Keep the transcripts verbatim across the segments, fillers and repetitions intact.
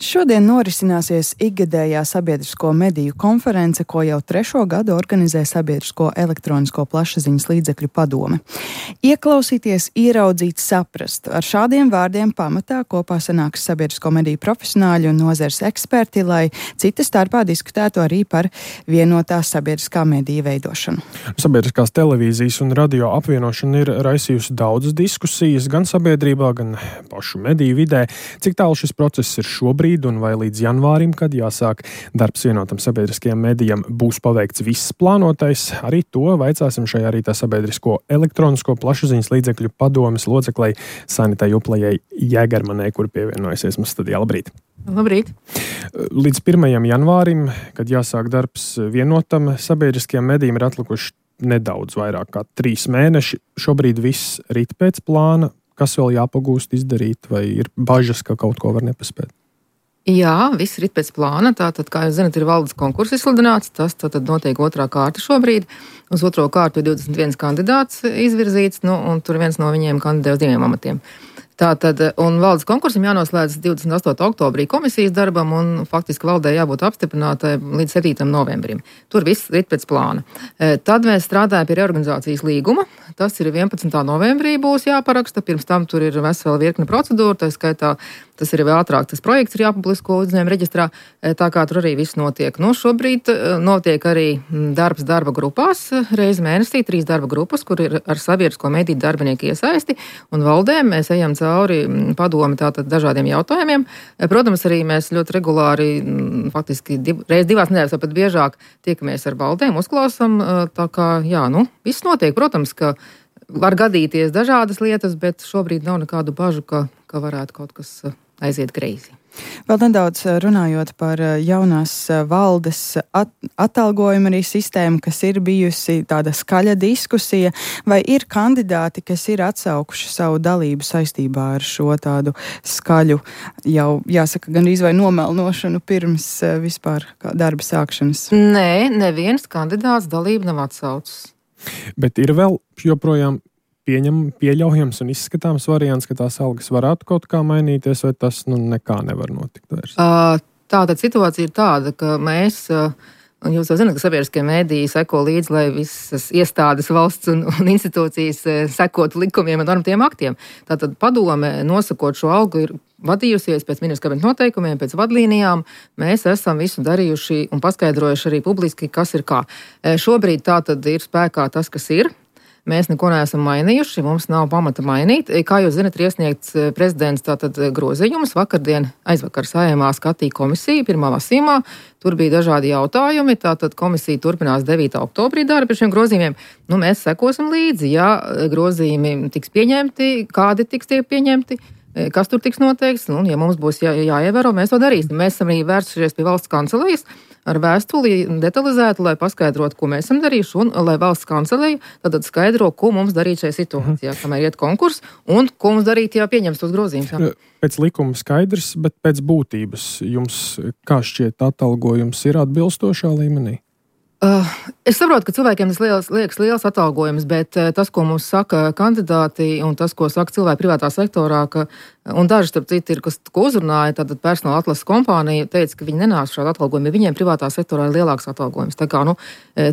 Šodien norisināsies ikgadējā sabiedrisko mediju konference, ko jau trešo gadu organizē Sabiedrisko elektronisko plašsaziņas līdzekļu padome. Ieklausīties, ieraudzīt, saprast. Ar šādiem vārdiem pamatā kopā sanāks sabiedrisko mediju profesionāļi un nozares eksperti, lai cita starpā diskutētu arī par vienotā sabiedriskā mediju veidošanu. Sabiedriskās televīzijas un radio apvienošana ir raisījusi daudzas diskusijas gan sabiedrībā, gan pašu mediju vidē. Cik tālu šis process ir šobrīd un vai līdz janvārim, kad jāsāk darbs vienotam sabiedriskajam medijam, būs paveikts viss plānotais? Arī to vaicāsim šajā rītā Sabiedrisko elektronisko plašsaziņas līdzekļu padomes loceklei Sanitai Juplejai Jēgermanai, kur pievienojusies mums studijā. Labrīt! Labrīt! Līdz pirmajam janvārim, kad jāsāk darbs vienotam sabiedriskajam medijam, ir atlikuši nedaudz vairāk kā trīs mēneši. Šobrīd viss rit pēc plāna. Kas vēl jāpagūst izdarīt, vai ir bažas, ka kaut ko var nepaspēt? Jā, viss ir pēc plāna. Tātad, kā jūs zināt, ir valdes konkurss izsludināts. Tas tātad notiek otrā kārta šobrīd. Uz otro kārtu ir divdesmit viens kandidāts izvirzīts, nu, un tur viens no viņiem kandidē uz diviem amatiem. Tātad, un valdes konkursam jānoslēdz divdesmit astotajā oktobrī komisijas darbam, un faktiski valdē jābūt apstiprinātai līdz septītajam novembrim. Tur viss ir pēc plāna. Tad mēs strādājam pie reorganizācijas līguma. Tas ir vienpadsmitā novembrī būs jāparaksta. Pirms tam tur ir vesela virkne procedūra, tā skaitā tas ir vēl ātrāk, tas projekts ir jāpublisko uzņēmuma reģistrā, tā kā tur arī viss notiek. Nu, šobrīd notiek arī darbs darba grupās, reizi mēnesī, trīs darba grupas, kur ir ar sabiedrisko mediju darbinieku iesaisti, un valdēm mēs ejam cauri padomi tātad dažādiem jautājumiem. Protams, arī mēs ļoti regulāri, faktiski div, reiz divās nedēļās, vai pat biežāk tiekamies ar valdēm, uzklausam, tā kā, jā, nu, viss notiek. Protams, ka var gadīties dažādas lietas, bet šobrīd nav nekādu bažu, ka, ka varētu kaut kas aiziet greizi. Vēl nedaudz runājot par jaunās valdes at- atalgojumu arī sistēmu, kas ir bijusi tāda skaļa diskusija, vai ir kandidāti, kas ir atsaukuši savu dalību saistībā ar šo tādu skaļu, jau jāsaka, gandrīz vai nomelnošanu pirms vispār darba sākšanas? Nē, neviens kandidāts dalību nav atsaucis. Bet ir vēl joprojām pieņem, pieļaujams un izskatāms variants, ka tās algas varētu kaut kā mainīties, vai tas nu nekā nevar notikt vairs? Tātad situācija ir tāda, ka mēs, un jūs jau zināt, ka sabiedriskie mediji seko līdzi, lai visas iestādes, valsts un, un institūcijas sekotu likumiem un normatīviem aktiem. Tātad padome, nosakot šo algu, ir vadījusies pēc ministra kabineta noteikumiem, pēc vadlīnijām. Mēs esam visu darījuši un paskaidrojuši arī publiski, kas ir kā. Šobrīd tātad ir spēkā tas, kas ir. Mēs neko neesam mainījuši, mums nav pamata mainīt. Kā jūs zinat, ir iesniegts prezidents tātad grozījums. Vakardien, aizvakar Saeimā skatīja komisija pirmā lasījumā. Tur bija dažādi jautājumi. Tātad komisija turpinās devītā oktobrī darbu pie šiem grozījumiem. Nu, mēs sekosim līdzi, ja grozījumi tiks pieņemti, kādi tiks tie pieņemti, kas tur tiks noteikts. Nu, ja mums būs jā, jāievēro, mēs to darīsim. Mēs esam arī vērsušies pie valsts kancelejas ar vēstuli detalizētu, lai paskaidrotu, ko mēs esam darījuši, un lai valsts kanceleja tad skaidro, ko mums darīt šajā situācijā, kamēr iet konkurss, un ko mums darīt, ja pieņems tos grozījumus. Pēc likuma skaidrs, bet pēc būtības jums, kā šķiet, atalgojums ir atbilstošā līmenī? Uh, es saprotu, ka cilvēkiem tas liels, liekas liels atalgojums, bet uh, tas, ko mums saka kandidāti un tas, ko saka cilvēki privātā sektorā, ka, un daži, starp citu, ir, kas ko uzrunāja, tātad personāla atlases kompānija teica, ka viņi nenāks šādu atalgojumu, ja viņiem privātā sektorā ir lielāks atalgojums. Tā kā, nu,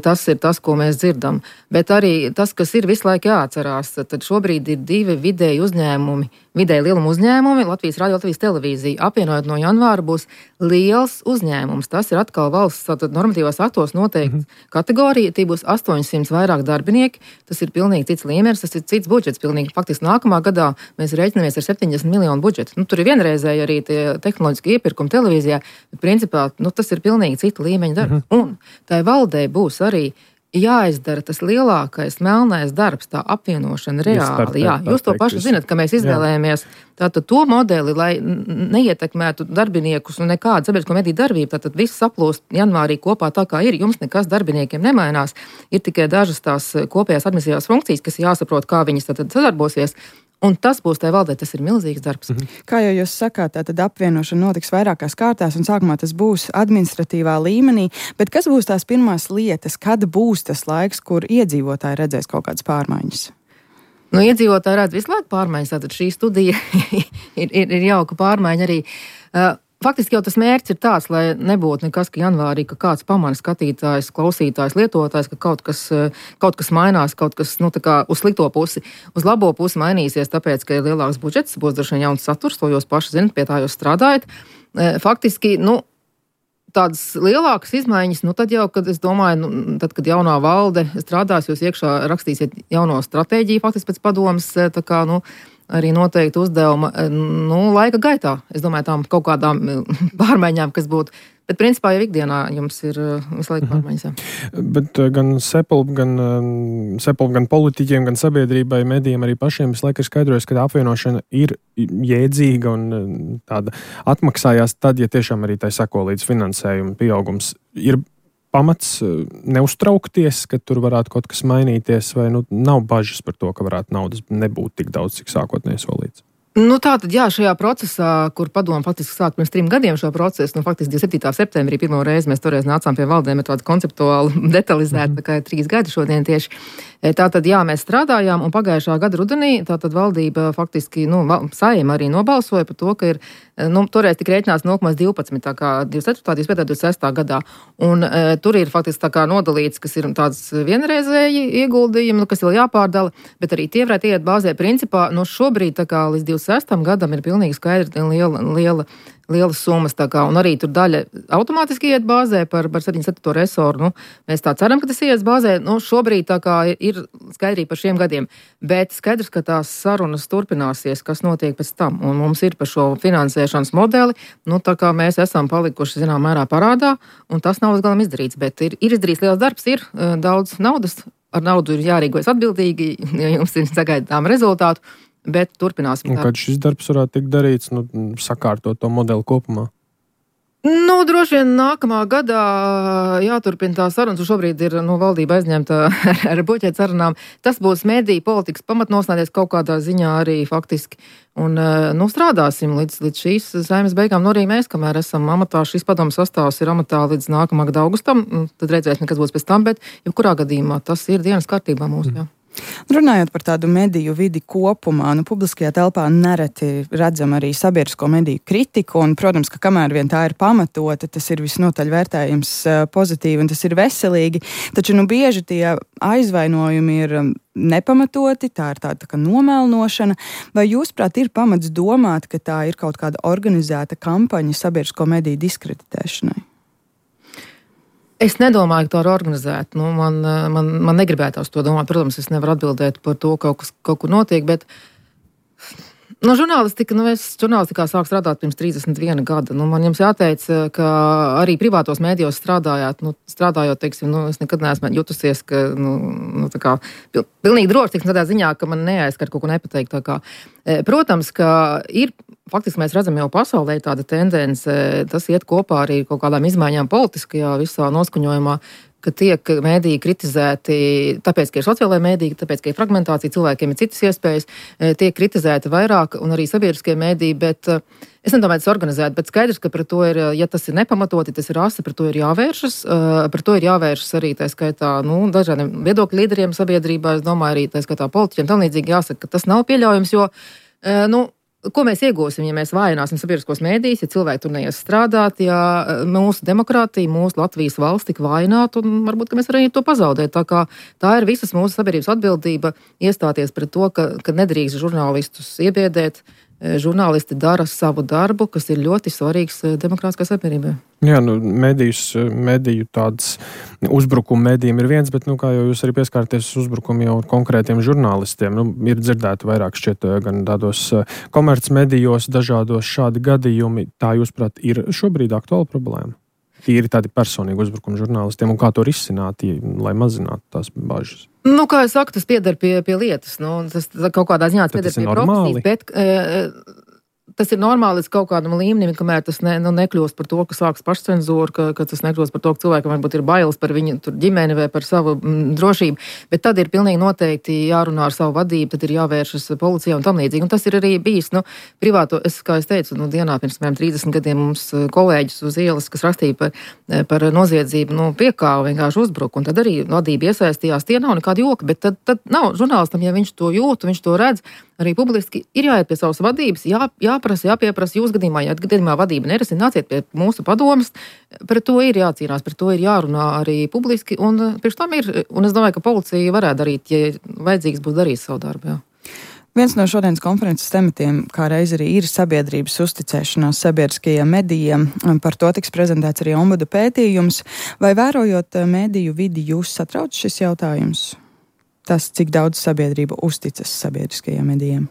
tas ir tas, ko mēs dzirdam. Bet arī tas, kas ir visu laiku jāatcerās, tad šobrīd ir divi vidēji uzņēmumi, vidēji lieluma uzņēmumi, Latvijas radio, Latvijas televīzija. Apvienojot no janvāra būs liels uzņēmums. Tas ir atkal valsts tātad normatīvās aktos noteikti mm-hmm. kategorija. Tie būs astoņsimt vairāk darbinieki. Tas ir pilnīgi cits līmenis, tas ir cits budžets. Pilnīgi. Faktiski nākamā gadā mēs rēķinamies ar septiņdesmit miljonu budžetu. Nu, tur ir vienreizēji arī tie tehnoloģiski iepirkumi televīzijā, bet principā nu, tas ir pilnīgi cita līmeņa darbs. Mm-hmm. Un tai valdei būs arī jāizdara tas lielākais melnais darbs, tā apvienošana reāli. Jā, jūs to paši zinat, ka mēs izvēlējāmies tātad to modeli, lai neietekmētu darbiniekus un nekādu sabiedrisko mediju darbību. Tātad viss saplūst janvārī kopā tā, kā ir. Jums nekas darbiniekiem nemainās. Ir tikai dažas tās kopējās administratīvās funkcijas, kas jāsaprot, kā viņas tātad sadarbosies. Un tas būs tai valdē, tas ir milzīgs darbs. Mhm. Kā jau jūs sakāt, tad apvienošana notiks vairākās kārtās, un sākumā tas būs administratīvā līmenī, bet kas būs tās pirmās lietas, kad būs tas laiks, kur iedzīvotāji redzēs kaut kādas pārmaiņas? Nu, iedzīvotāji redz visu laiku pārmaiņas, tātad šī studija ir, ir, ir jauka pārmaiņa arī. Uh, faktiski jau tas mērķis ir tāds, lai nebūtu nekas, ka janvārī, ka kāds pamana skatītājs, klausītājs, lietotājs, ka kaut kas, kaut kas mainās, kaut kas, nu, tā kā uz slikto pusi, uz labo pusi mainīsies, tāpēc, ka ir lielāks budžets, būs droši vien jauns saturs, to jūs paši zinat, pie tā jūs strādājat. Faktiski, nu, tādas lielākas izmaiņas, nu, tad jau, kad es domāju, nu, tad, kad jaunā valde strādās, jūs iekšā rakstīsiet jauno stratēģiju, faktiski pēc padomas, tā kā, nu, arī noteikti uzdevuma, nu, laika gaitā. Es domāju, tām kaut kādām pārmaiņām, kas būtu. Bet, principā, jau ikdienā jums ir visu laiku pārmaiņas. Jā. Bet gan Sepulp, gan, Sepulp, gan politiķiem, gan sabiedrībai, medijiem arī pašiem visu laiku ir skaidrojas, ka apvienošana ir jēdzīga un tāda atmaksājās tad, ja tiešām arī tai sako līdz finansējuma pieaugums. Ir pamats neuztraukties, ka tur varētu kaut kas mainīties, vai nu, nav bažas par to, ka varētu naudas nebūt tik daudz, cik sākotnēji solīts? Nu, tā tad, jā, šajā procesā, kur padomu faktiski sāk pirms trim gadiem šo procesu, nu, faktiski divdesmit septītā septembrī pirmo reizi mēs toreiz nācām pie valdēm ar tādu konceptuāli detalizētu, mm. tā kā ir trīs gadi šodien tieši. Tā tad, jā, mēs strādājām, un pagājušā gada rudenī tā tad valdība faktiski, nu, Saeima arī nobalsoja par to, ka ir, nu, toreiz tik rēķinās nulle komats divpadsmit, tā kā divdesmit ceturtā, divdesmit piektajā, divdesmit sestā gadā. Un e, tur ir faktiski tā kā nodalīts, kas ir tāds vienreizēji ieguldījumi, nu, kas vēl jāpārdala, bet arī tie varētu iet bāzē principā, nu, šobrīd tā kā līdz divdesmit sestam gadam ir pilnīgi skaidri liela, liela, lielas summas, tā kā, un arī tur daļa automātiski iet bāzē par, par septiņdesmit septīto resoru, nu, mēs tā ceram, ka tas ies bāzē, nu, šobrīd tā kā ir skaidrība par šiem gadiem, bet skaidrs, ka tās sarunas turpināsies, kas notiek pēc tam, un mums ir par šo finansēšanas modeli, nu, tā kā mēs esam palikuši, zinām, mērā parādā, un tas nav līdz galam izdarīts, bet ir, ir izdarīts liels darbs, ir uh, daudz naudas, ar naudu ir jārīkojas atbildīgi, ja jums ir sagaidām rezultātu, bet turpināsim. Un kad šis darbs varētu tikt darīts, nu, sakārtot to modeli kopumā? Nu, droši vien nākamā gadā jāturpina tā sarunas, un šobrīd ir, nu, valdība aizņemta ar, ar buķēt sarunām. Tas būs mediju politikas pamatnosnādies kaut kādā ziņā arī faktiski. Un, nu, strādāsim līdz, līdz šīs Saeimas beigām, nu, arī mēs, kamēr esam amatā, šis padomu sastāvs ir amatā līdz nākamā gada augustam, tad redzēsim, kas būs pēc tam, bet jebkurā gadījumā tas ir dienas kārtībā mūsu, jā. Runājot par tādu mediju vidi kopumā, nu, publiskajā telpā nereti redzam arī sabiedrisko mediju kritiku, un, protams, ka kamēr vien tā ir pamatota, tas ir visnotaļ vērtējums pozitīvi, un tas ir veselīgi, taču, nu, bieži tie aizvainojumi ir nepamatoti, tā ir tāda tā kā nomelnošana, vai jūsprāt ir pamats domāt, ka tā ir kaut kāda organizēta kampaņa sabiedrisko mediju diskreditēšanai? Es nedomāju, ka tā ir organizēta. Nu, man, man, man negribētās to domāt. Protams, es nevaru atbildēt par to, ka kaut kas kaut kur notiek, bet no žurnālistika, nu, es žurnālistikā sāku strādāt pirms trīsdesmit viena gada. Nu, man jums jāteic, ka arī privātos mēdījos strādājāt, nu, strādājot, teiksim, nu, es nekad neesmu jutusies, ka, nu, nu tā kā, pil, pilnīgi droši, teiksim, tādā ziņā, ka man neaizskar kaut ko nepateikt, tā kā. Protams, ka ir, faktiski mēs redzam jau pasaulē tāda tendence, tas iet kopā arī kaut kādām izmaiņām politiskajā visā noskaņojumā, ka tiek mēdīji kritizēti, tāpēc, ka ir sociālajā mēdīji, tāpēc, ka ir fragmentācija, cilvēkiem ir citas iespējas, tiek kritizēti vairāk un arī sabiedriskie mēdīji, bet es nedomāju, tas organizēt, bet skaidrs, ka par to ir, ja tas ir nepamatoti, tas ir asi, par to ir jāvēršas, par to ir jāvēršas arī tā skaitā, nu, dažādiem viedokļu līderiem sabiedrībā, es domāju arī tā skaitā politiķiem, tam līdzīgi jāsaka, ka tas nav pieļaujams, jo, nu, ko mēs iegūsim, ja mēs vājināsim sabiedriskos mēdījus, ja cilvēki tur neies strādāt, ja mūsu demokrātija, mūsu Latvijas valsts tik vājinātu, un varbūt, ka mēs arī to pazaudēt. Tā kā tā ir visas mūsu sabiedrības atbildība iestāties pret to, ka, ka nedrīkst žurnālistus iebiedēt. Žurnālisti dara savu darbu, kas ir ļoti svarīgs demokrātiskā sabiedrībai. Jā, nu, medijus, mediju tāds uzbrukuma medijiem ir viens, bet, nu, kā jau jūs arī pieskārties uzbrukumu jau konkrētiem žurnālistiem, nu, ir dzirdēti vairāk šķiet gan tādos komercmedijos dažādos šādi gadījumi. Tā, jūsprāt, ir šobrīd aktuāla problēma? Ir tādi personīgi uzbrukumi žurnālistiem, un kā to risināt, lai mazinātu tās bažas? Nu, kā es saku, tas pieder pie, pie lietas. Nu, tas kaut kādā ziņā pieder pie profesijas, bet e, tas ir normāli līdz kaut kādam līmenim, kamēr tas ne, nu, nekļūst par to, ka sāks pašcenzūra, ka, ka tas nekļūst par to, ka cilvēkam varbūt ir bailes par viņu tur ģimeni vai par savu m, drošību, bet tad ir pilnīgi noteikti jārunā ar savu vadību, tad ir jāvēršas policijā un tam līdzīgi. Un tas ir arī bijis, nu, privāto, es, kā es teicu, nu, dienā pirms mēram trīsdesmit gadiem mums kolēģis uz ielas, kas rakstīja par, par noziedzību, nu, piekāva, vienkārši uzbruka, un tad arī vadība iesaistījās, tie nav nekādi joki, bet tad, tad nav žurnālistam, ja viņš to jūt, viņš to redz, arī publiski ir jāiet pie savas vadības, jā, jāprasa jāprasa, jāpieprasa. Jūs gadījumā, ja gadījumā vadība nerisina, nāciet pie mūsu padomas. Par to ir jācīnās, par to ir jārunā arī publiski. Un, pirms tam ir, un es domāju, ka policija varētu darīt, ja vajadzīgs būs darīt savu darbu. Jā. Viens no šodienas konferences tematiem, kā reiz arī ir sabiedrības uzticēšanās sabiedriskajiem medijiem. Par to tiks prezentēts arī ombuda pētījums. Vai vērojot mediju vidi, jūs satrauc šis jautājums? Tas, cik daudz sabiedrība uzticas sabiedriskajiem medijiem?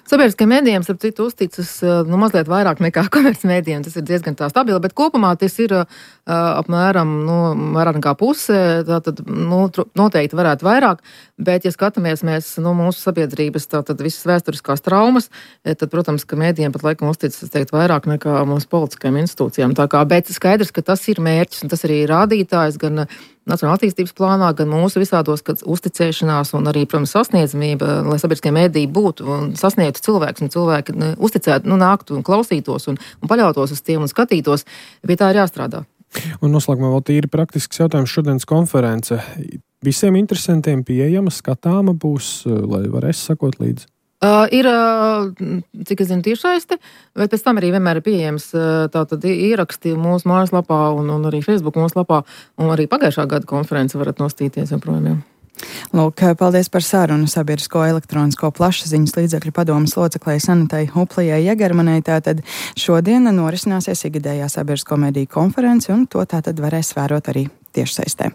Sabiedriskajiem medijiem, starp citu, uzticas nu, mazliet vairāk nekā komercmedijiem. Tas ir diezgan tā stabili, bet kopumā tas ir uh, apmēram nu, vairāk nekā puse. Tātad nu, noteikti varētu vairāk, bet, ja skatāmies mēs nu, mūsu sabiedrības tātad visas vēsturiskās traumas, tad, protams, ka medijiem pat laikam uzticas, es teiktu, vairāk nekā mūsu politiskajām institūcijām. Tā kā, bet skaidrs, ka tas ir mērķis un tas arī rādītājs gan Nacionālā attīstības plānā, gan mūsu visādos, kad uzticēšanās un arī, protams, sasniedzamība, lai sabiedriskie mediji būtu un sasniegtu cilvēks un cilvēki ne, uzticētu, nu, nāktu un klausītos un, un paļautos uz tiem un skatītos, pie tā ir jāstrādā. Un noslēgumā vēl tīri praktisks jautājums šodienas konference. Visiem interesantiem pieejama, skatāma būs, lai varēs sakot līdzi? Uh, ir, uh, cik es zinu, tiešsaiste, bet pēc tam arī vienmēr ir pieejams uh, tātad ieraksti mūsu mājaslapā un, un arī Facebook mājaslapā, un arī pagājušā gada konference varat nostīties joprojām. Lūk, paldies par sarunu sabiedrisko elektronisko plašsaziņas līdzekļu padomes loceklei Sanitai Huplijai Jegermanai. Tātad šodien norisināsies ikgadējā sabiedrisko mediju konference, un to tātad varēs vērot arī tiešsaistē.